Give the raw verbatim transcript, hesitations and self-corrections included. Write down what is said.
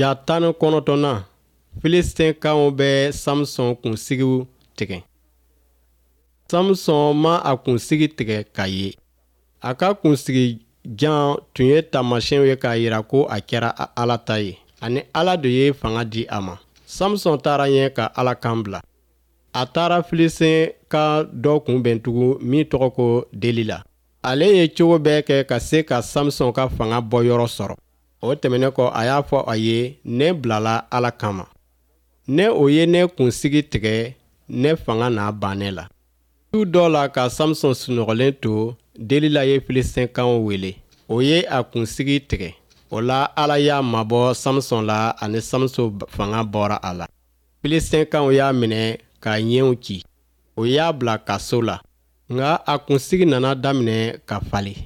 Ja tan ni kɔnɔntɔnnan, Filisitɛnkaw bɛ Samusɔn kunsigiw tigɛ. Samusɔn ma a kunsigi tigɛ ka ye. A ka kunsigi jan tun ye taamasiyɛn ye k'a jira ko a kɛra Ala ta ye, ani Ala de ye fanga di a ma. Samusɔn taara ɲɛ ka Ala kan bila. A taara Filisitɛnka dɔ kunbɛn tugun min tɔgɔ ko Delila. Ale ye cogo bɛɛ kɛ ka se ka Samusɔn ka fanga bɔ yɔrɔ sɔrɔ. O tɛmɛnen kɔ, a y'a fɔ a ye: "Ne bilala Ala kama. Ne o ye ne kunsigi tigɛ, ne fanga n'a ban ne la." Su dɔ la, ka Samusɔn sunɔgɔlen to, Delila ye Filisitɛnkaw wele. O ye a kunsigi tigɛ. O la, Ala y'a mabɔ Samusɔn la, ani Samusɔn fanga bɔra a la. Filisitɛnkaw y'a minɛ k'a ɲɛw ci. O y'a bila kaso la. Nka a kunsigi nana daminɛ ka falen.